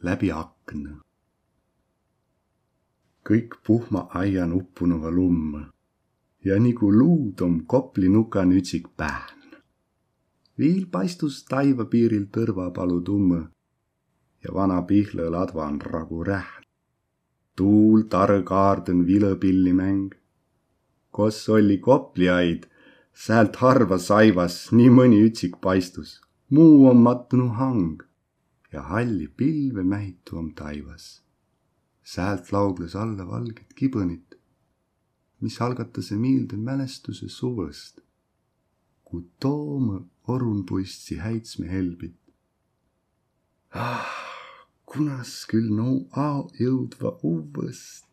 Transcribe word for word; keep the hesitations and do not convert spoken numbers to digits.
läbi akna. Kõik puhma aian uppunuva lumma ja nagu luud om koplinukan ütsik pähn. Viil paistus taiva piiril tõrvapalu tumme ja vana pihlõ ladvan ragu rähn. Tuul tarõkaarden vilõpillimäng. Kos olli kopliaid, säält harva saivas nii mõni ütsik paistus. Muu on matnu hang ja halli pilve mähitu om taivas. Säält laugles alla valged kibõnit, mis algatase miilde mälestuse suvõst, ku toome orunpuistsi häitsme helbit. Ah, kunas küll no ao jõudva uvõst.